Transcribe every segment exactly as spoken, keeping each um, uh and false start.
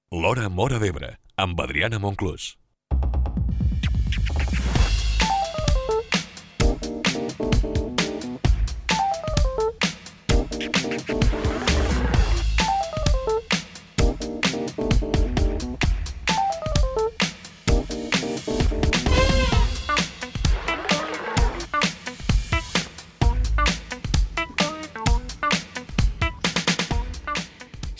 L'Hora Móra d'Ebre, amb Adriana Monclús.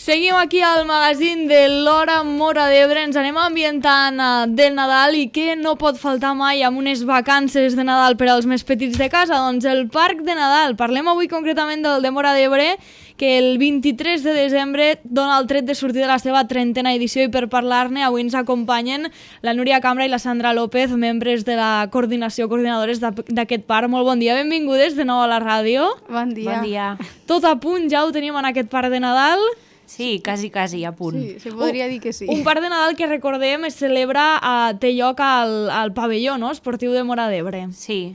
Seguim aquí al magazín de l'Hora Móra d'Ebre, ens anem ambientant uh, del Nadal i què no pot faltar mai amb unes vacances de Nadal per als més petits de casa? Doncs el Parc de Nadal. Parlem avui concretament del de Móra d'Ebre, que el vint-i-tres de desembre dona el tret de sortir de la seva trentena edició i per parlar-ne avui ens acompanyen la Núria Cambra i la Sandra López, membres de la coordinació, coordinadores d'aquest parc. Molt bon dia, benvingudes de nou a la ràdio. Bon dia. Bon dia. Tot a punt, ja ho tenim en aquest parc de Nadal. Sí, quasi, quasi, a punt. Sí, se podria dir que sí. Un parc de Nadal que recordem es celebra, a, té lloc al, al pavelló, no?, esportiu de Móra d'Ebre. Sí,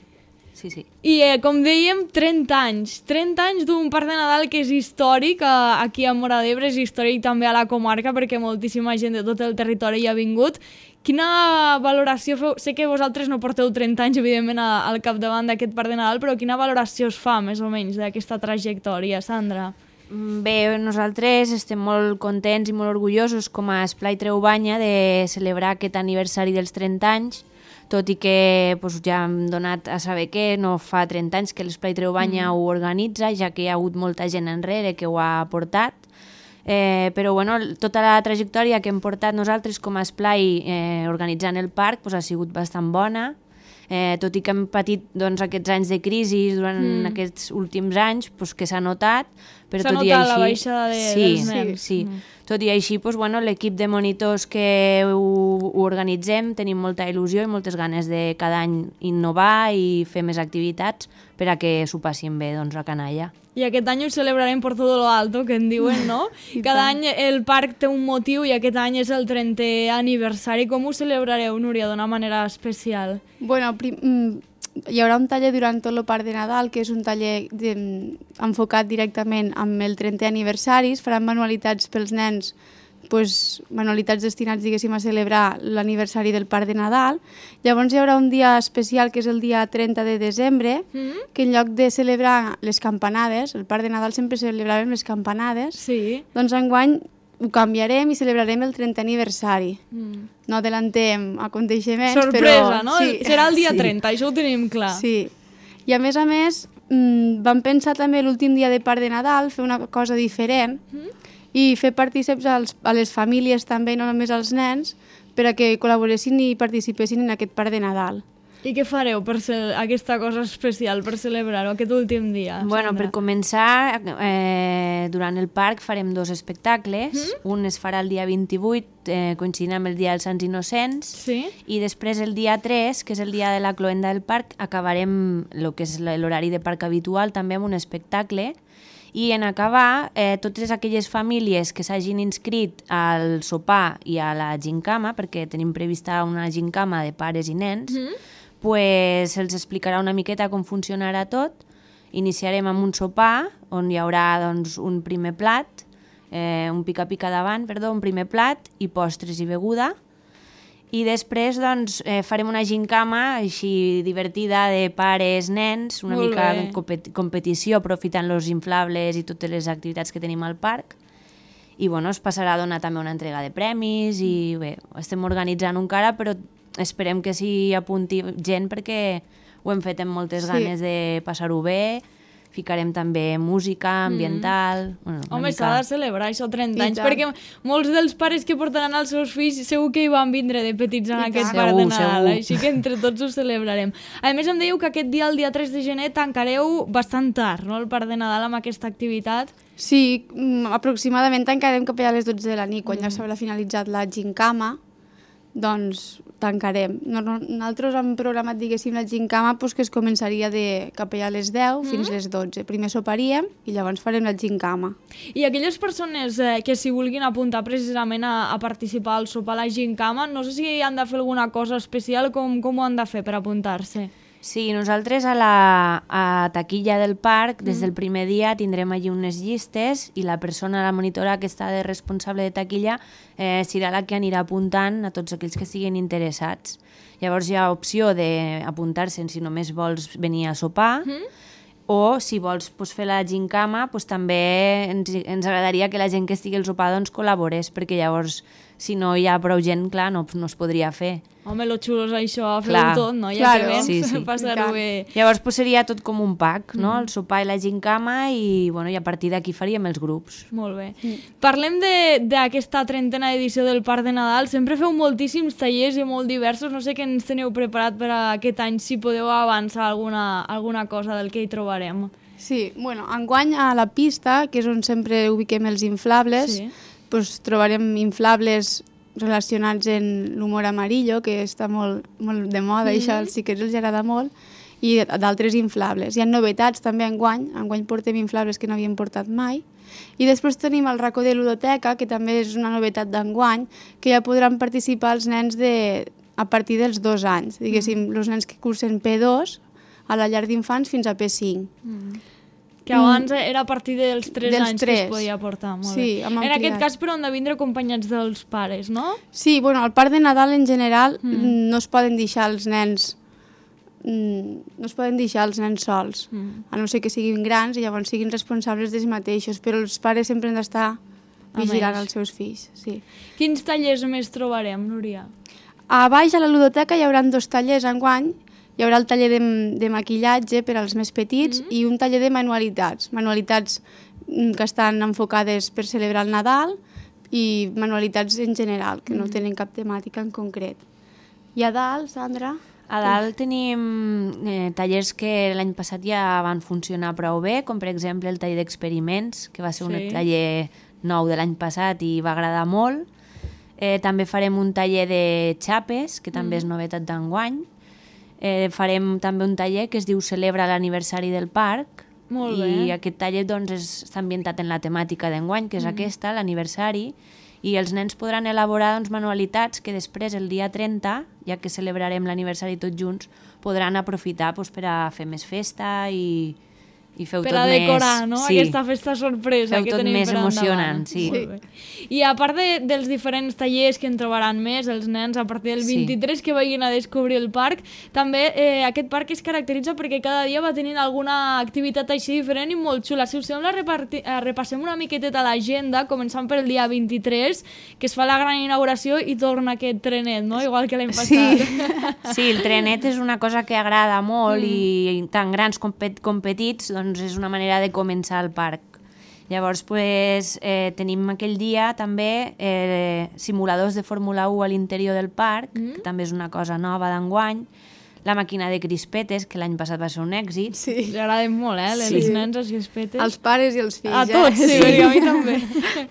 sí, sí. I eh, com dèiem, trenta anys. trenta anys d'un parc de Nadal que és històric a, aquí a Móra d'Ebre, és històric també a la comarca perquè moltíssima gent de tot el territori hi ha vingut. Quina valoració feu? Sé que vosaltres no porteu trenta anys, evidentment, a, al capdavant d'aquest parc de Nadal, però quina valoració es fa, més o menys, d'aquesta trajectòria, Sandra? Bé, nosaltres estem molt contents i molt orgullosos com a Esplai Treu Banya de celebrar aquest aniversari dels trenta anys, tot i que doncs, ja hem donat a saber que no fa trenta anys que l'Esplai Treu Banya mm. ho organitza, ja que hi ha hagut molta gent enrere que ho ha portat. Eh, però bueno, tota la trajectòria que hem portat nosaltres com a Esplai eh, organitzant el parc doncs, ha sigut bastant bona. Eh, tot i que hem patit doncs, aquests anys de crisi durant mm. aquests últims anys, doncs, que s'ha notat, però tot i així... S'ha notat la baixada de, sí, dels nens. Sí, sí. Mm. Tot i així, doncs, bueno, l'equip de monitors que ho, ho organitzem tenim molta il·lusió i moltes ganes de cada any innovar i fer més activitats per a que s'ho passin bé doncs, a canalla. I aquest any ho celebrarem por todo lo alto, que en diuen, no? Cada any el parc té un motiu i aquest any és el trentè aniversari. Com ho celebrareu, Núria, d'una manera especial? Bueno, prim, hi haurà un taller durant tot el parc de Nadal, que és un taller de, enfocat directament amb el trentè aniversari. Es faran manualitats pels nens, pues, manualitats destinats, diguéssim, a celebrar l'aniversari del parc de Nadal. Llavors hi haurà un dia especial, que és el dia trenta de desembre, mm-hmm. que en lloc de celebrar les campanades, el parc de Nadal sempre celebràvem les campanades, sí. doncs enguany ho canviarem i celebrarem el trentè aniversari. Mm. No adelantem aconteixements, sorpresa, però... no? Sí. Serà el dia trenta, sí. Això ho tenim clar. Sí. I a més a més, mmm, vam pensar també l'últim dia de parc de Nadal fer una cosa diferent, mm. i fer partíceps als, a les famílies també, no només als nens, per a que col·laboressin i participessin en aquest parc de Nadal. I què fareu per ser aquesta cosa especial, per celebrar-ho aquest últim dia? Bueno, per començar, eh, durant el parc farem dos espectacles. Mm? Un es farà el dia vint-i-vuit, eh, coincidint amb el dia dels Sants Innocents, sí? I després el dia tres, que és el dia de la cloenda del parc, acabarem el que és l'horari de parc habitual, també amb un espectacle. I en acabar, eh, totes aquelles famílies que s'hagin inscrit al sopar i a la gincama, perquè tenim prevista una gincama de pares i nens, mm-hmm. pues se'ls explicarà una miqueta com funcionarà tot. Iniciarem amb un sopar, on hi haurà doncs, un primer plat, eh, un pica-pica davant, perdó, un primer plat i postres i beguda. I després doncs, eh, farem una gincama així divertida de pares, nens, una Molt mica bé. compet competició, aprofitant els inflables i totes les activitats que tenim al parc. I bueno, es passarà a donar també una entrega de premis i bé, estem organitzant encara, però esperem que s'hi apunti gent perquè ho hem fet amb moltes sí. ganes de passar-ho bé. Ficarem també música ambiental... Mm. Bueno, Home, mica... s'ha de celebrar això, trenta I anys, tant. perquè molts dels pares que portaran els seus fills segur que hi van vindre de petits en I aquest tant. parc de Segur, Nadal, segur. així que entre tots ho celebrarem. A més, em dèieu que aquest dia, el dia tres de gener, tancareu bastant tard, no?, el parc de Nadal amb aquesta activitat. Sí, mm, aproximadament tancarem cap allà a les dotze de la nit, quan mm. ja s'haurà finalitzat la gincama, doncs tancarem. Nosaltres hem programat, diguéssim, la gincama pues, que es començaria de cap allà a les deu mm. fins a les dotze. Primer soparíem i llavors farem la gincama. I aquelles persones eh, que s'hi vulguin apuntar precisament a, a participar al sopar a la gincama, no sé si han de fer alguna cosa especial, com, com ho han de fer per apuntar-se? Sí, nosaltres a la a taquilla del parc, des del primer dia, tindrem allí unes llistes i la persona, la monitora que està de responsable de taquilla, eh, serà la que anirà apuntant a tots aquells que estiguin interessats. Llavors hi ha opció d'apuntar-se si només vols venir a sopar, mm. o si vols pues, fer la gincama, pues, també ens, ens agradaria que la gent que estigui al sopar doncs, col·laborés, perquè llavors, si no hi ha prou gent, clar, no, no es podria fer. Home, lo xulo és això, fer-ho tot, no? Ja claro. que vens, sí, sí. passar-ho bé. Llavors pues, seria tot com un pack, no? Mm. El sopar i la gincama i, bueno, i a partir d'aquí faríem els grups. Molt bé. Mm. Parlem d'aquesta trentena edició del Parc de Nadal. Sempre feu moltíssims tallers i molt diversos. No sé què ens teniu preparat per a aquest any, si podeu avançar alguna, alguna cosa del que hi trobarem. Sí, bueno, enguany a la pista, que és on sempre ubiquem els inflables, sí. pues, trobarem inflables relacionats en l'humor amarillo, que està molt, molt de moda, mm-hmm. i això als xiquets els agrada molt, i d'altres inflables. Hi ha novetats també enguany, enguany portem inflables que no havíem portat mai, i després tenim el racó de ludoteca, que també és una novetat d'enguany, que ja podran participar els nens de, a partir dels dos anys, diguéssim, mm. els nens que cursen P dos a la llar d'infants fins a P cinc. Mm. Que abans mm. era a partir dels tres dels anys tres. que es podia portar. Molt sí, bé. En aquest cas, però, han de vindre acompanyats dels pares, no? Sí, bueno, al Parc de Nadal en general mm. no es poden deixar els nens no es poden deixar els nens sols, mm. a no ser que siguin grans i llavors siguin responsables d'ells mateixos, però els pares sempre han d'estar vigilant els seus fills. Sí. Quins tallers més trobarem, Núria? A baix, a la ludoteca, hi haurà dos tallers enguany. Hi haurà el taller de, de maquillatge per als més petits mm-hmm. i un taller de manualitats. Manualitats que estan enfocades per celebrar el Nadal i manualitats en general, que mm-hmm. no tenen cap temàtica en concret. I a dalt, Sandra? A dalt tenim eh, tallers que l'any passat ja van funcionar prou bé, com per exemple el taller d'experiments, que va ser sí. un taller nou de l'any passat i va agradar molt. Eh, també farem un taller de xapes, que també mm. és novetat d'enguany. Eh, farem també un taller que es diu Celebra l'aniversari del parc. Molt bé. I aquest taller doncs, és, està ambientat en la temàtica d'enguany, que és mm. aquesta, l'aniversari, i els nens podran elaborar doncs, manualitats que després, el dia trenta, ja que celebrarem l'aniversari tots junts, podran aprofitar doncs, per a fer més festa i, i feu per tot a decorar, més... no? Sí. Aquesta festa sorpresa feu que tot tenim més per emocionant, sí. sí. I a part de, dels diferents tallers que en trobaran més, els nens a partir del vint-i-tres sí. que vagin a descobrir el parc, també eh, aquest parc es caracteritza perquè cada dia va tenint alguna activitat així diferent i molt xula. Si us sembla, reparti, eh, repassem una miqueteta l'agenda, començant per el dia vint-i-tres, que es fa la gran inauguració i torna aquest trenet, no? Igual que l'any passat. Sí. sí, el trenet és una cosa que agrada molt mm. i tant grans com, pet, com petits, doncs és una manera de començar el parc. Llavors, pues, eh, tenim aquell dia també eh, simuladors de Fórmula u a l'interior del parc, mm. que també és una cosa nova d'enguany, la màquina de crispetes, que l'any passat va ser un èxit. Sí. Li agraden molt, eh? Sí. Les nens, les crispetes. Els pares i els fills. A tots, eh? sí, sí. A mi també.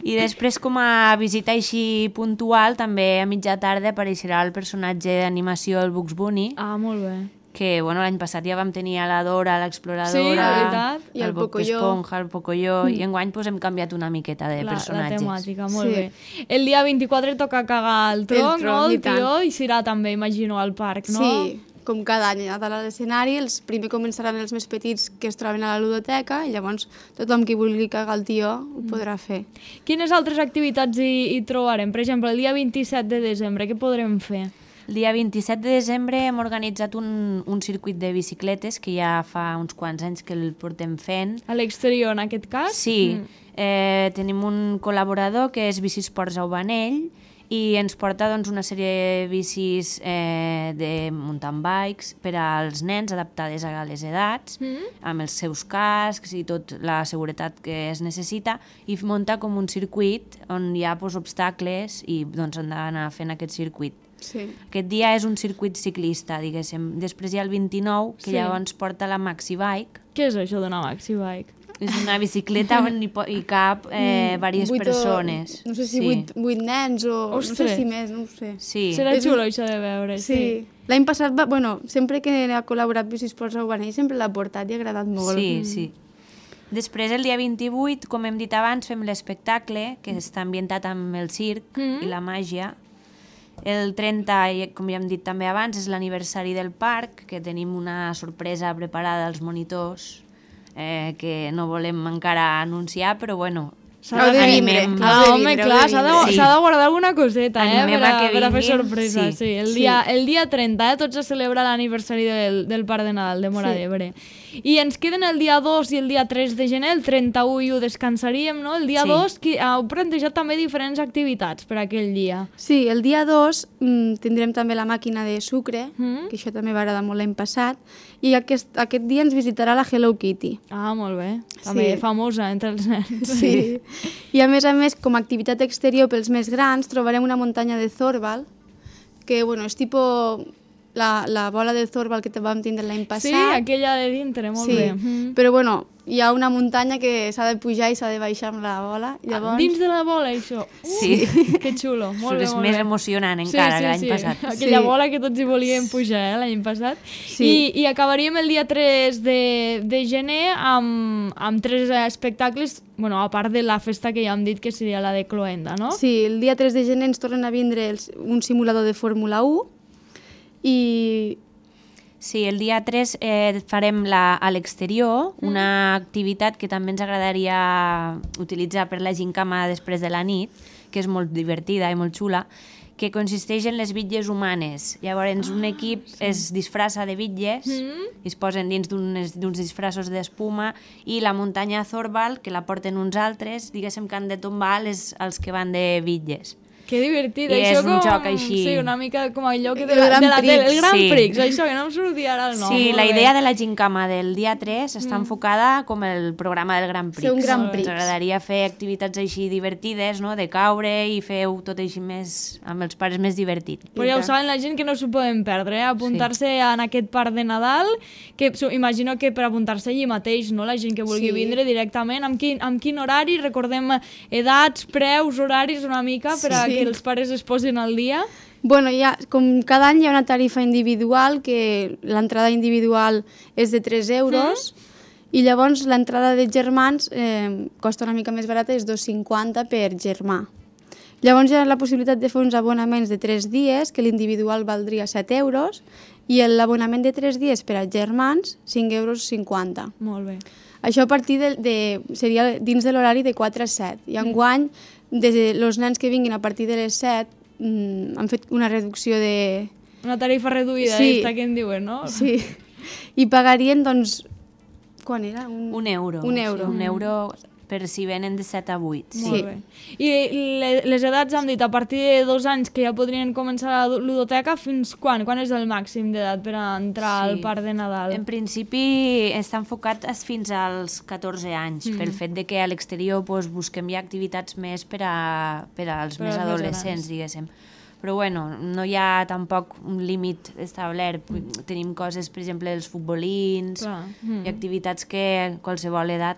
I després, com a visita així puntual, també a mitja tarda apareixerà el personatge d'animació, el Bugs Bunny. Ah, molt bé. Que bueno, l'any passat ja vam tenir a la Dora, l'exploradora, sí, la veritat. I el, el Bob Esponja, el Pocoyo, mm. i enguany pues, hem canviat una miqueta de la, personatges. La temàtica, molt sí. bé. El dia vint-i-quatre toca cagar el tronc, el tronc no? El i tió, i serà també, imagino, al parc, no? Sí, com cada any a dalt a l'escenari, els primer començaran els més petits que es troben a la ludoteca i llavors tothom qui vulgui cagar el tió ho mm. podrà fer. Quines altres activitats hi, hi trobarem? Per exemple, el dia vint-i-set de desembre, què podrem fer? El dia vint-i-set de desembre hem organitzat un, un circuit de bicicletes que ja fa uns quants anys que el portem fent. A l'exterior, en aquest cas? Sí. Mm. Eh, tenim un col·laborador que és Bicisports Aubanell i ens porta doncs, una sèrie de bicis eh, de mountain bikes per als nens adaptades a les edats, mm. amb els seus cascs i tota la seguretat que es necessita, i munta com un circuit on hi ha pues, obstacles i doncs, han d'anar fent aquest circuit. Sí. Aquest dia és un circuit ciclista, diguéssim. Després hi ha el vint-i-nou, que sí. llavors porta la Maxi Bike. Què és això d'una Maxi Bike? És una bicicleta on hi, hi cap eh, diverses persones. O, no sé si sí. vuit, vuit nens o Ostres. no sé si més, no ho sé. Sí. Serà xulo això de veure. Sí. sí. L'any passat, va, bueno, sempre que ha col·laborat Bicisports Aubanell sempre l'ha portat i ha agradat molt. Sí, mm. sí. Després, el dia vint-i-vuit, com hem dit abans, fem l'espectacle, que està ambientat amb el circ mm. i la màgia. El trenta, com ja hem dit també abans, és l'aniversari del parc, que tenim una sorpresa preparada als monitors, eh, que no volem encara anunciar, però bueno, Heu de vindre. animem... Ah, Heu de home, vindre, clar, heu de s'ha de, vindre. Sí. s'ha de guardar alguna coseta, eh, Animem per a, a que per a fer vinguin, sorpresa. Sí. sí. Sí, el, Sí. dia, el dia trenta, eh, tots a celebrar l'aniversari del, del Parc de Nadal de Móra Sí. d'Ebre. I ens queden el dia dos i el dia tres de gener, el trenta-u i ho descansaríem, no? El dia Sí. dos, qui, heu plantejat també diferents activitats per aquell dia. Sí, el dia dos mm, tindrem també la màquina de sucre, Mm. que això també va agradar molt l'any passat, i aquest, aquest dia ens visitarà la Hello Kitty. Ah, molt bé. També Sí. famosa entre els nens. Sí. I a més a més, com a activitat exterior pels més grans, trobarem una muntanya de Zorbal, que bueno, és tipus la, la bola de Zorbal que te vam tindre l'any passat. Sí, aquella de dintre, molt Sí, bé. Mm. però bueno, hi ha una muntanya que s'ha de pujar i s'ha de baixar amb la bola. Llavors... Dins de la bola, això. Uh, Sí. Que xulo, molt bé, És molt més bé. emocionant encara que l'any passat. Aquella Sí. bola que tots hi volíem pujar, eh, l'any passat. Sí. I, I acabaríem el dia tres de, de gener amb, amb tres espectacles, bueno, a part de la festa que ja hem dit que seria la de Cloenda, no? Sí, el dia tres de gener ens tornen a vindre els, un simulador de Fórmula u i Sí, el dia tres eh, farem la, a l'exterior una activitat que també ens agradaria utilitzar per la gincama després de la nit, que és molt divertida i molt xula, que consisteix en les bitlles humanes. Llavors, un equip es disfressa de bitlles, i es posen dins d'uns d'uns disfressos d'espuma, i la muntanya Zorbal, que la porten uns altres, diguéssim que han de tombar les, els que van de bitlles. Que divertit. I això és un com, joc així. Sí, una mica com allò que de El la, Grand de la tele, el Prix. Gran Sí. Prix, això que no em sortia ara el nom. Sí, molt la bé. idea de la gincama del dia tres està enfocada com el programa del Gran Prix. Ser un Gran Ens Prix. agradaria fer activitats així divertides, no? De caure i fer tot així més, amb els pares més divertit. Però ja ho saben la gent que no s'ho poden perdre, eh? Apuntar-se sí. en aquest parc de Nadal, que su- imagino que per apuntar-se allí mateix, no? La gent que vulgui Sí. vindre directament, amb quin, amb quin horari, recordem edats, preus, horaris una mica, per a Sí. que els pares es posin al dia. bueno, ja, com cada any hi ha una tarifa individual, que l'entrada individual és de tres euros, i llavors l'entrada de germans eh, costa una mica més barata, és dos cinquanta per germà. Llavors hi ha la possibilitat de fer uns abonaments de tres dies, que l'individual valdria set euros, i l'abonament de tres dies per a germans, cinc euros cinquanta. Molt bé. Això a partir de, de seria dins de l'horari de quatre a set. I enguany, des de els nens que vinguin a partir de les set, mm, han fet una reducció de... Una tarifa reduïda, Sí. esta que en diuen, no? Sí. I pagarien, doncs... Quan era? Un, Un euro. Un euro. Sí, un euro per si venen de set a vuit. Sí. Molt bé. I le- les edats hem dit, a partir de dos anys que ja podrien començar la ludoteca, fins quan? Quan és el màxim d'edat per a entrar Sí. al parc de Nadal? En principi està enfocat es- fins als catorze anys, Mm. pel fet de que a l'exterior pues, busquem ja activitats més per, a, per als Per més als més adolescents, grans. diguéssim. Però bueno, no hi ha tampoc un límit establert. Tenim coses, per exemple, els futbolins Clar. Mm. i activitats que qualsevol edat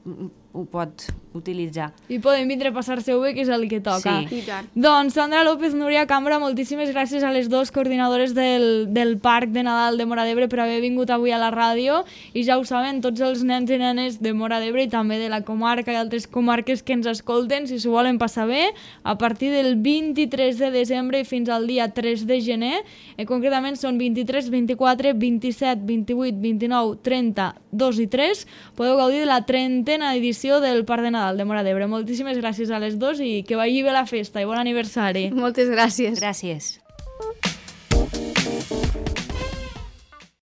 mm, ho pot utilitzar. I poden vindre a passar-se-ho bé, que és el que toca. Sí. I tant. Doncs Sandra López, Núria Cambra, moltíssimes gràcies a les dues coordinadores del, del Parc de Nadal de Móra d'Ebre per haver vingut avui a la ràdio, i ja ho saben, tots els nens i nenes de Móra d'Ebre i també de la comarca i altres comarques que ens escolten, si s'ho volen passar bé, a partir del vint-i-tres de desembre i fins al dia tres de gener, eh, concretament són vint-i-tres, vint-i-quatre, vint-i-set, vint-i-vuit, vint-i-nou, trenta, dos i tres, podeu gaudir de la trentena edició del Parc de Nadal de Móra d'Ebre. Moltíssimes gràcies a les dos i que vagi bé la festa i bon aniversari. Moltes gràcies. Gràcies.